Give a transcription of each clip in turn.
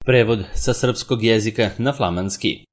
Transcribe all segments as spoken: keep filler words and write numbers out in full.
Prevod sa srpskog jezika na flamanski.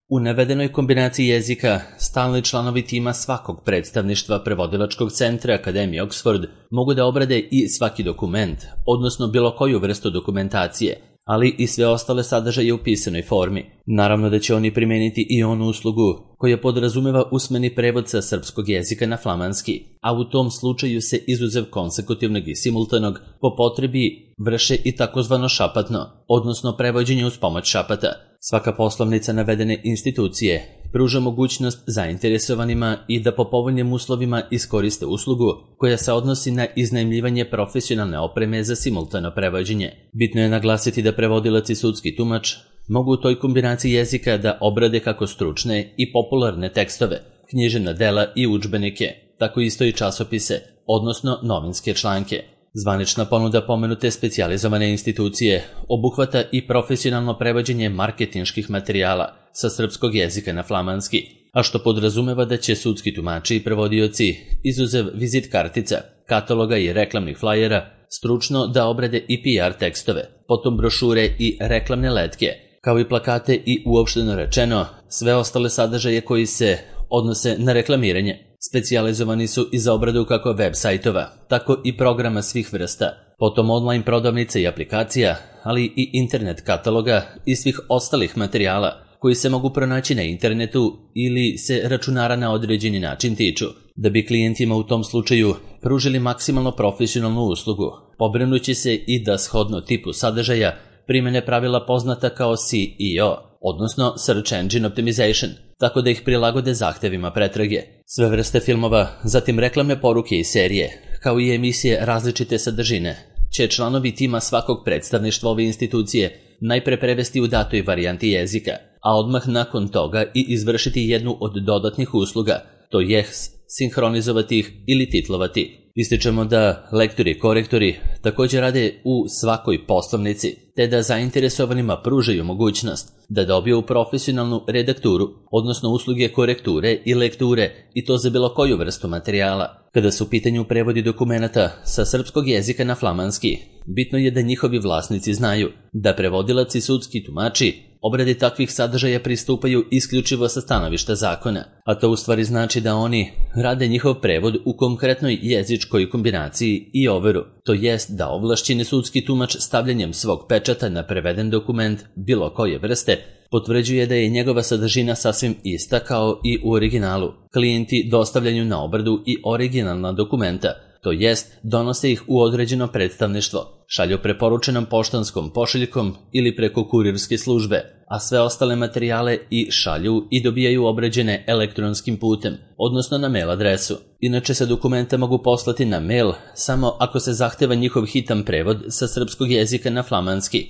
U navedenoj kombinaciji jezika, stalni članovi tima svakog predstavništva prevodilačkog centra Akademije Oxford mogu da obrade i svaki dokument, odnosno bilo koju vrstu dokumentacije, ali i sve ostale sadržaje u pisanoj formi. Naravno da će oni primeniti i onu uslugu koja podrazumeva usmeni prevod sa srpskog jezika na flamanski, a u tom slučaju se izuzev konsekutivnog i simultanog po potrebi vrše i takozvano šapatno, odnosno prevođenje uz pomoć šapata. Svaka poslovnica navedene institucije pruža mogućnost zainteresovanima i da po povoljnim uslovima iskoriste uslugu koja se odnosi na iznajmljivanje profesionalne opreme za simultano prevođenje. Bitno je naglasiti da prevodilac i sudski tumač mogu u toj kombinaciji jezika da obrade kako stručne i popularne tekstove, književna dela i udžbenike, tako isto i časopise, odnosno novinske članke. Zvanična ponuda pomenute specijalizovane institucije obuhvata i profesionalno prevođenje marketinških materijala sa srpskog jezika na flamanski, a što podrazumeva da će sudski tumači i prevodioci, izuzev vizit kartica, kataloga i reklamnih flajera, stručno da obrade i P R tekstove, potom brošure i reklamne letke, kao i plakate i uopšteno rečeno sve ostale sadržaje koji se odnose na reklamiranje. Specijalizovani su i za obradu kako web sajtova, tako i programa svih vrsta, potom online prodavnica i aplikacija, ali i internet kataloga i svih ostalih materijala koji se mogu pronaći na internetu ili se računara na određeni način tiču, da bi klijentima u tom slučaju pružili maksimalno profesionalnu uslugu, pobrinući se i da shodno tipu sadržaja primene pravila poznata kao S E O, odnosno Search Engine Optimization, tako da ih prilagode zahtevima pretrage. Sve vrste filmova, zatim reklamne poruke i serije, kao i emisije različite sadržine, će članovi tima svakog predstavništva ove institucije najpre prevesti u datoj varijanti jezika, a odmah nakon toga i izvršiti jednu od dodatnih usluga, to je sinhronizovati ih ili titlovati. Ističemo da lektori i korektori također rade u svakoj poslovnici, te da zainteresovanima pružaju mogućnost da dobiju profesionalnu redakturu, odnosno usluge korekture i lekture, i to za bilo koju vrstu materijala. Kada su u pitanju prevodi dokumenata sa srpskog jezika na flamanski, bitno je da njihovi vlasnici znaju da prevodilac i sudski tumači obradi takvih sadržaja pristupaju isključivo sa stanovišta zakona, a to u stvari znači da oni rade njihov prevod u konkretnoj jezičkoj kombinaciji i overu, to jest da ovlašćeni sudski tumač stavljanjem svog pečata na preveden dokument bilo koje vrste potvrđuje da je njegova sadržina sasvim ista kao i u originalu. Klijenti dostavljaju na obradu i originalna dokumenta, to jest donose ih u određeno predstavništvo, šalju preporučenom poštanskom pošiljkom ili preko kurirske službe, a sve ostale materijale i šalju i dobijaju obrađene elektronskim putem, odnosno na mail adresu. Inače se dokumenta mogu poslati na mail samo ako se zahteva njihov hitan prevod sa srpskog jezika na flamanski,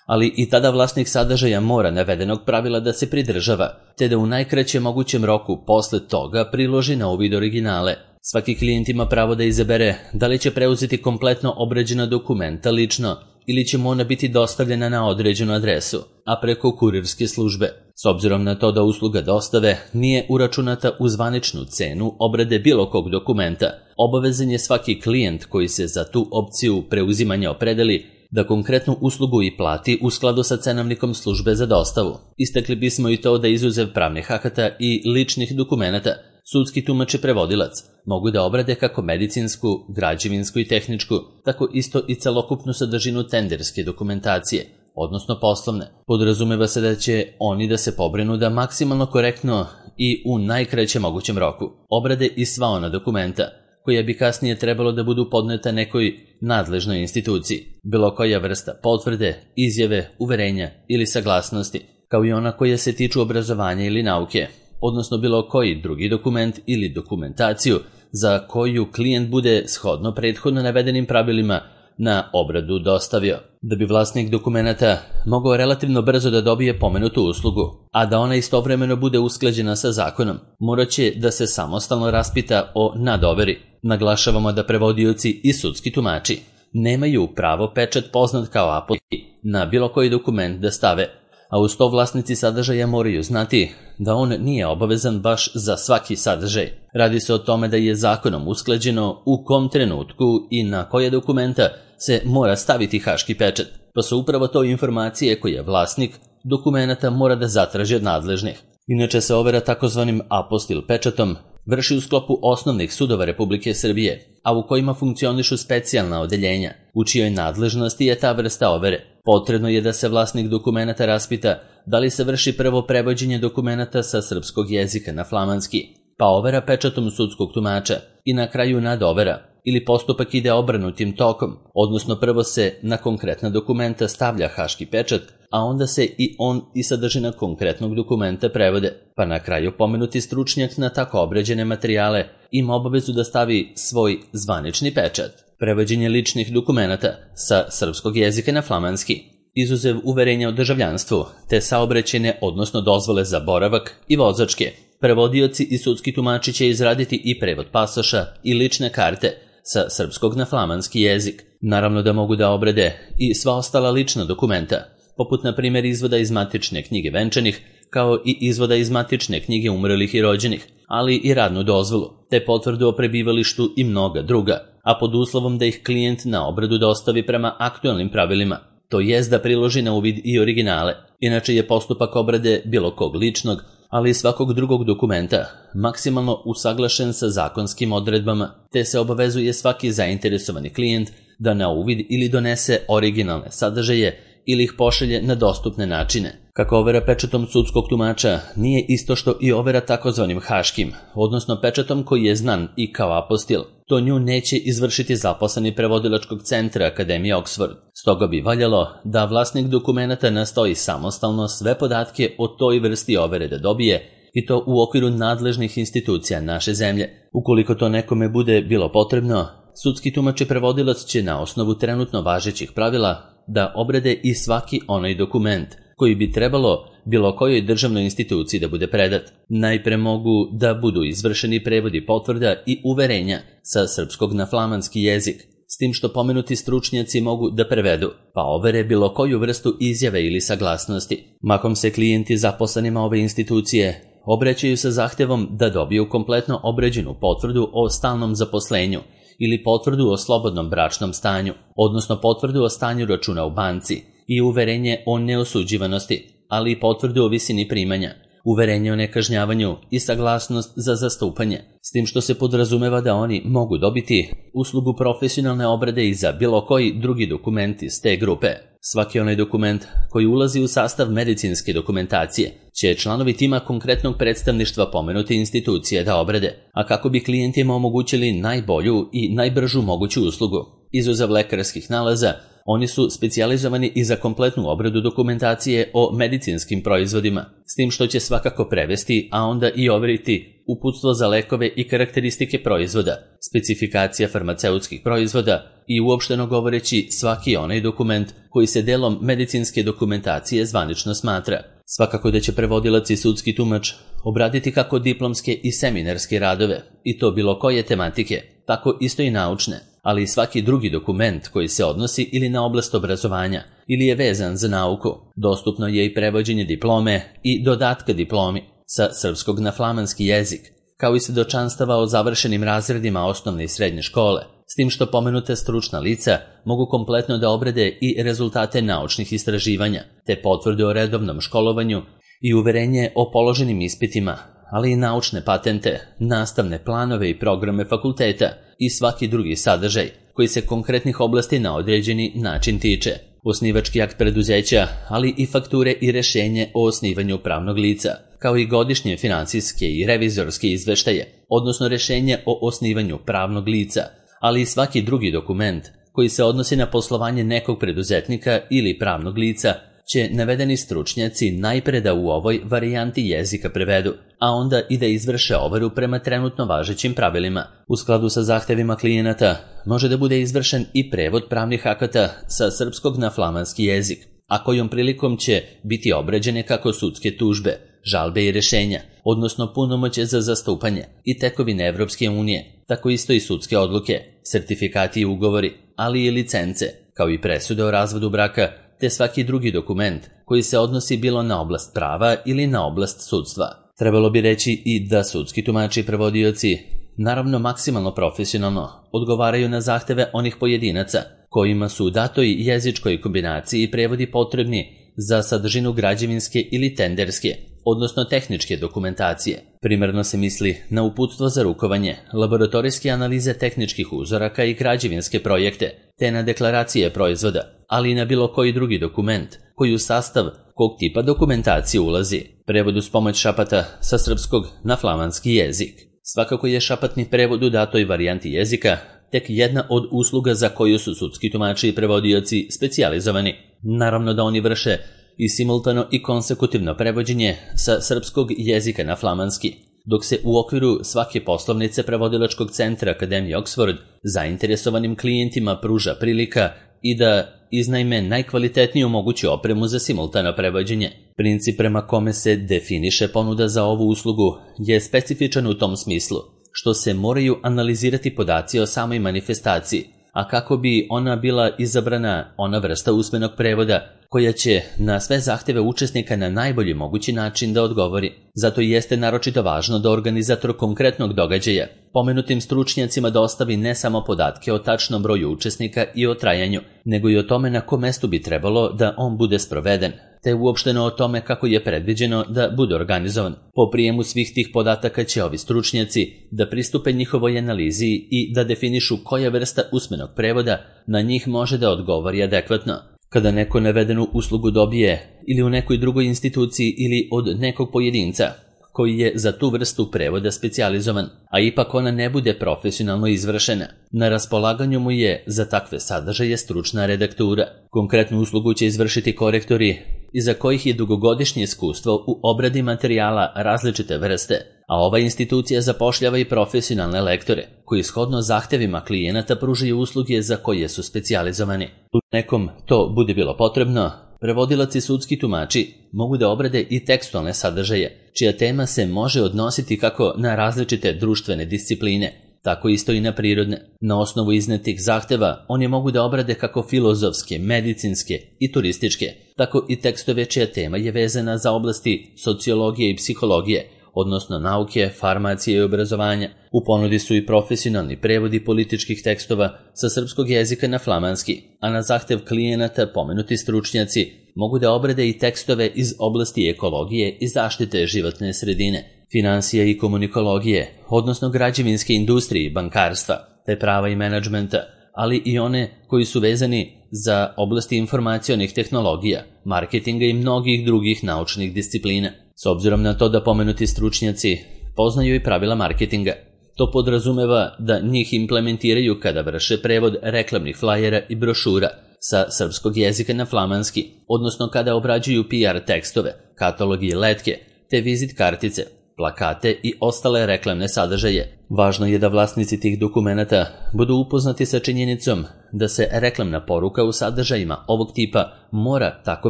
ali i tada vlasnik sadržaja mora navedenog pravila da se pridržava, te da u najkraćem mogućem roku posle toga priloži na uvid originale. Svaki klijent ima pravo da izabere da li će preuzeti kompletno obrađena dokumenta lično ili će mu ona biti dostavljena na određenu adresu, a preko kurirske službe. S obzirom na to da usluga dostave nije uračunata u zvaničnu cenu obrade bilo kog dokumenta, obavezan je svaki klijent koji se za tu opciju preuzimanja opredeli da konkretnu uslugu i plati u skladu sa cenovnikom službe za dostavu. Istakli bismo i to da izuzev pravnih akata i ličnih dokumenata, sudski tumač i prevodilac mogu da obrade kako medicinsku, građevinsku i tehničku, tako isto i celokupnu sadržinu tenderske dokumentacije, odnosno poslovne. Podrazumeva se da će oni da se pobrinu da maksimalno korektno i u najkraćem mogućem roku obrade i sva ona dokumenta koja bi kasnije trebalo da budu podneta nekoj nadležnoj instituciji, bilo koja vrsta potvrde, izjave, uverenja ili saglasnosti, kao i ona koja se tiču obrazovanja ili nauke, odnosno bilo koji drugi dokument ili dokumentaciju za koju klijent bude shodno prethodno navedenim pravilima na obradu dostavio. Da bi vlasnik dokumenata mogao relativno brzo da dobije pomenutu uslugu, a da ona istovremeno bude usklađena sa zakonom, morat će da se samostalno raspita o nadoveri. Naglašavamo da prevodioci i sudski tumači nemaju pravo pečat poznat kao apotek na bilo koji dokument da stave, a uz to vlasnici sadržaja moraju znati da on nije obavezan baš za svaki sadržaj. Radi se o tome da je zakonom usklađeno u kom trenutku i na koje dokumenta se mora staviti haški pečat. pa su upravo to informacije koje vlasnik dokumenata mora da zatraži od nadležnih. Inače se overa takozvanim apostil pečatom vrši u sklopu osnovnih sudova Republike Srbije, a u kojima funkcionišu specijalna odeljenja, u čijoj nadležnosti je ta vrsta overe. Potrebno je da se vlasnik dokumenata raspita da li se vrši prvo prevođenje dokumenata sa srpskog jezika na flamanski, pa overa pečatom sudskog tumača i na kraju nadovera, ili postupak ide obrnutim tokom, odnosno prvo se na konkretna dokumenta stavlja haški pečat, a onda se i on i sadržina konkretnog dokumenta prevode, pa na kraju pomenuti stručnjak na tako obrađene materijale ima obavezu da stavi svoj zvanični pečat. Prevođenje ličnih dokumenata sa srpskog jezika na flamanski, izuzev uverenja o državljanstvu, te saobraćajne, odnosno dozvole za boravak i vozačke. Prevodioci i sudski tumači će izraditi i prevod pasoša i lične karte sa srpskog na flamanski jezik. Naravno da mogu da obrade i sva ostala lična dokumenta, poput na primjer izvoda iz matične knjige venčanih, kao i izvoda iz matične knjige umrlih i rođenih, ali i radnu dozvolu, te potvrdu o prebivalištu i mnoga druga, a pod uslovom da ih klijent na obradu dostavi prema aktualnim pravilima, to jest da priloži na uvid i originale. Inače je postupak obrade bilo kog ličnog, ali i svakog drugog dokumenta maksimalno usaglašen sa zakonskim odredbama, te se obavezuje svaki zainteresovani klijent da na uvid ili donese originalne sadržaje ili ih pošalje na dostupne načine. Kako overa pečatom sudskog tumača nije isto što i overa takozvanim haškim, odnosno pečatom koji je znan i kao apostil, to nju neće izvršiti zaposleni prevodilačkog centra Akademije Oxford. Stoga bi valjalo da vlasnik dokumenata nastoji samostalno sve podatke o toj vrsti overe da dobije, i to u okviru nadležnih institucija naše zemlje. Ukoliko to nekome bude bilo potrebno, sudski tumač i prevodilac će na osnovu trenutno važećih pravila da obrade i svaki onaj dokument koji bi trebalo bilo kojoj državnoj instituciji da bude predat. Najpre mogu da budu izvršeni prevodi potvrda i uverenja sa srpskog na flamanski jezik, s tim što pomenuti stručnjaci mogu da prevedu, pa overe bilo koju vrstu izjave ili saglasnosti. Mahom se klijenti zaposlenima ove institucije obraćaju sa zahtevom da dobiju kompletno obrađenu potvrdu o stalnom zaposlenju ili potvrdu o slobodnom bračnom stanju, odnosno potvrdu o stanju računa u banci i uverenje o neosuđivanosti, ali i potvrdu o visini primanja, uverenje o nekažnjavanju i saglasnost za zastupanje, s tim što se podrazumeva da oni mogu dobiti uslugu profesionalne obrade i za bilo koji drugi dokument iz te grupe. Svaki onaj dokument koji ulazi u sastav medicinske dokumentacije će članovi tima konkretnog predstavništva pomenute institucije da obrade, a kako bi klijentima omogućili najbolju i najbržu moguću uslugu. Izuzev lekarskih nalaza, oni su specijalizovani i za kompletnu obradu dokumentacije o medicinskim proizvodima, s tim što će svakako prevesti, a onda i overiti uputstvo za lekove i karakteristike proizvoda, specifikacija farmaceutskih proizvoda i uopšteno govoreći svaki onaj dokument koji se delom medicinske dokumentacije zvanično smatra. Svakako da će prevodilac i sudski tumač obraditi kako diplomske i seminarske radove, i to bilo koje tematike, tako isto i naučne, ali i svaki drugi dokument koji se odnosi ili na oblast obrazovanja ili je vezan za nauku. Dostupno je i prevođenje diplome i dodatka diplomi sa srpskog na flamanski jezik, kao i svedočanstava o završenim razredima osnovne i srednje škole, s tim što pomenute stručna lica mogu kompletno da obrade i rezultate naučnih istraživanja, te potvrde o redovnom školovanju i uverenje o položenim ispitima, ali i naučne patente, nastavne planove i programe fakulteta i svaki drugi sadržaj koji se konkretnih oblasti na određeni način tiče. Osnivački akt preduzeća, ali i fakture i rešenje o osnivanju pravnog lica, kao i godišnje finansijske i revizorske izveštaje, odnosno rešenje o osnivanju pravnog lica, ali i svaki drugi dokument koji se odnosi na poslovanje nekog preduzetnika ili pravnog lica, će navedeni stručnjaci najpre da u ovoj varijanti jezika prevedu, a onda i da izvrše overu prema trenutno važećim pravilima. U skladu sa zahtevima klijenata može da bude izvršen i prevod pravnih akata sa srpskog na flamanski jezik, a kojom prilikom će biti obrađene kako sudske tužbe, žalbe i rešenja, odnosno punomoće za zastupanje i tekovine Evropske unije, tako isto i sudske odluke, sertifikati i ugovori, ali i licence, kao i presude o razvodu braka, te svaki drugi dokument koji se odnosi bilo na oblast prava ili na oblast sudstva. Trebalo bi reći i da sudski tumači i prevodioci, naravno maksimalno profesionalno, odgovaraju na zahteve onih pojedinaca kojima su u datoj jezičkoj kombinaciji prevodi potrebni za sadržinu građevinske ili tenderske, odnosno tehničke dokumentacije. Primarno se misli na uputstvo za rukovanje, laboratorijske analize tehničkih uzoraka i građevinske projekte, te na deklaracije proizvoda, ali i na bilo koji drugi dokument, koji u sastav kog tipa dokumentacije ulazi. Prevod uz pomoć šapata sa srpskog na flamanski jezik. Svakako je šapatni prevod u datoj varijanti jezika tek jedna od usluga za koju su sudski tumači i prevodioci specijalizovani. Naravno da oni vrše i simultano i konsekutivno prevođenje sa srpskog jezika na flamanski, dok se u okviru svake poslovnice prevodilačkog centra Akademije Oxford zainteresovanim klijentima pruža prilika i da iznajme najkvalitetniju moguću opremu za simultano prevođenje. Princip prema kome se definiše ponuda za ovu uslugu je specifičan u tom smislu, što se moraju analizirati podaci o samoj manifestaciji, a kako bi ona bila izabrana ona vrsta usmenog prevoda koja će na sve zahteve učesnika na najbolji mogući način da odgovori. Zato jeste naročito važno da organizator konkretnog događaja pomenutim stručnjacima dostavi ne samo podatke o tačnom broju učesnika i o trajanju, nego i o tome na kom mestu bi trebalo da on bude sproveden, te uopšteno o tome kako je predviđeno da bude organizovan. Po prijemu svih tih podataka će ovi stručnjaci da pristupe njihovoj analizi i da definišu koja vrsta usmenog prevoda na njih može da odgovori adekvatno. Kada neko navedenu uslugu dobije ili u nekoj drugoj instituciji ili od nekog pojedinca koji je za tu vrstu prevoda specijalizovan, a ipak ona ne bude profesionalno izvršena, na raspolaganju mu je za takve sadržaje stručna redaktura. Konkretnu uslugu će izvršiti korektori iza kojih je dugogodišnje iskustvo u obradi materijala različite vrste, a ova institucija zapošljava i profesionalne lektore, koji shodno zahtevima klijenata pružaju usluge za koje su specijalizovani. U nekom to bude bilo potrebno, prevodilac i sudski tumači mogu da obrade i tekstualne sadržaje, čija tema se može odnositi kako na različite društvene discipline, tako isto i na prirodne. Na osnovu iznetih zahteva oni mogu da obrade kako filozofske, medicinske i turističke, tako i tekstove čija tema je vezana za oblasti sociologije i psihologije, odnosno nauke, farmacije i obrazovanja. U ponudi su i profesionalni prevodi političkih tekstova sa srpskog jezika na flamanski, a na zahtev klijenata pomenuti stručnjaci mogu da obrade i tekstove iz oblasti ekologije i zaštite životne sredine, finansija i komunikologije, odnosno građevinske industrije i bankarstva, te prava i menadžmenta, ali i one koji su vezani za oblasti informacionih tehnologija, marketinga i mnogih drugih naučnih disciplina. S obzirom na to da pomenuti stručnjaci poznaju i pravila marketinga, to podrazumeva da njih implementiraju kada vrše prevod reklamnih flajera i brošura sa srpskog jezika na flamanski, odnosno kada obrađuju P R tekstove, katalogi i letke, te vizit kartice, plakate i ostale reklamne sadržaje. Važno je da vlasnici tih dokumenata budu upoznati sa činjenicom da se reklamna poruka u sadržajima ovog tipa mora tako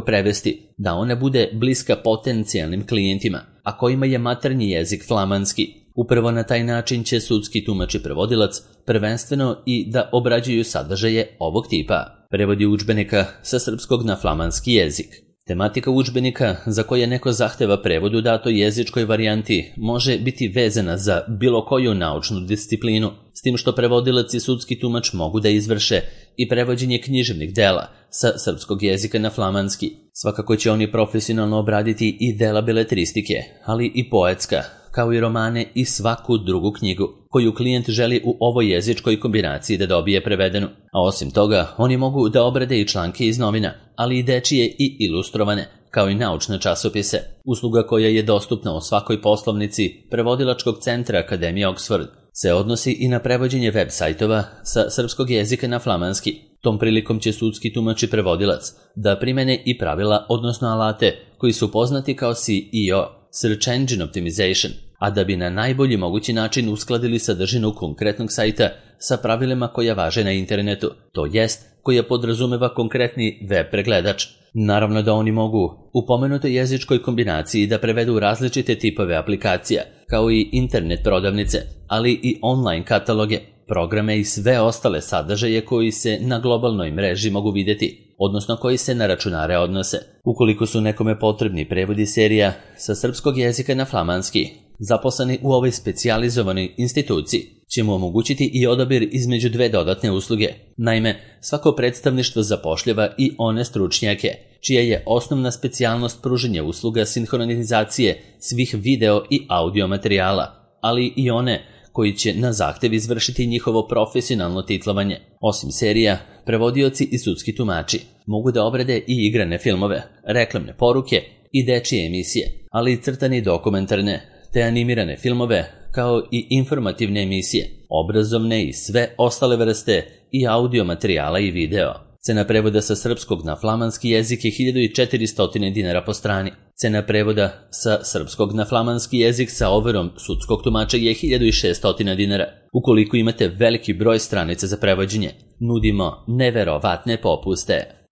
prevesti da ona bude bliska potencijalnim klijentima, a kojima je maternji jezik flamanski. Upravo na taj način će sudski tumač i prevodilac prvenstveno i da obrađuju sadržaje ovog tipa. Prevodi udžbenika sa srpskog na flamanski jezik. Tematika udžbenika za koje neko zahteva prevod u datoj jezičkoj varijanti može biti vezana za bilo koju naučnu disciplinu, s tim što prevodilac i sudski tumač mogu da izvrše i prevođenje književnih dela sa srpskog jezika na flamanski. Svakako će oni profesionalno obraditi i dela beletristike, ali i poetska, kao i romane i svaku drugu knjigu koju klijent želi u ovoj jezičkoj kombinaciji da dobije prevedenu. A osim toga, oni mogu da obrade i članke iz novina, ali i dečije i ilustrovane, kao i naučne časopise. Usluga koja je dostupna u svakoj poslovnici prevodilačkog centra Akademije Oxford se odnosi i na prevođenje web sajtova sa srpskog jezika na flamanski. Tom prilikom će sudski tumač i prevodilac da primene i pravila, odnosno alate, koji su poznati kao S E O, Search Engine Optimization, a da bi na najbolji mogući način uskladili sadržinu konkretnog sajta sa pravilima koja važe na internetu, to jest koja podrazumeva konkretni web pregledač. Naravno da oni mogu u pomenutoj jezičkoj kombinaciji da prevedu različite tipove aplikacija, kao i internet prodavnice, ali i online kataloge, programe i sve ostale sadržaje koji se na globalnoj mreži mogu vidjeti, odnosno koji se na računare odnose. Ukoliko su nekome potrebni prevodi serija sa srpskog jezika na flamanski, zaposleni u ovoj specijalizovanoj instituciji će mu omogućiti i odabir između dve dodatne usluge. Naime, svako predstavništvo zapošljava i one stručnjake, čija je osnovna specijalnost pružanje usluga sinhronizacije svih video i audio materijala, ali i one koji će na zahtev izvršiti njihovo profesionalno titlovanje. Osim serija, prevodioci i sudski tumači mogu da obrade i igrane filmove, reklamne poruke i dečije emisije, ali i crtane i dokumentarne, te animirane filmove, kao i informativne emisije, obrazovne i sve ostale vrste i audio materijala i video. Cena prevoda sa srpskog na flamanski jezik je hiljadu četiristo dinara po strani. Cena prevoda sa srpskog na flamanski jezik sa overom sudskog tumača je hiljadu šesto dinara. Ukoliko imate veliki broj stranica za prevođenje, nudimo neverovatne popuste.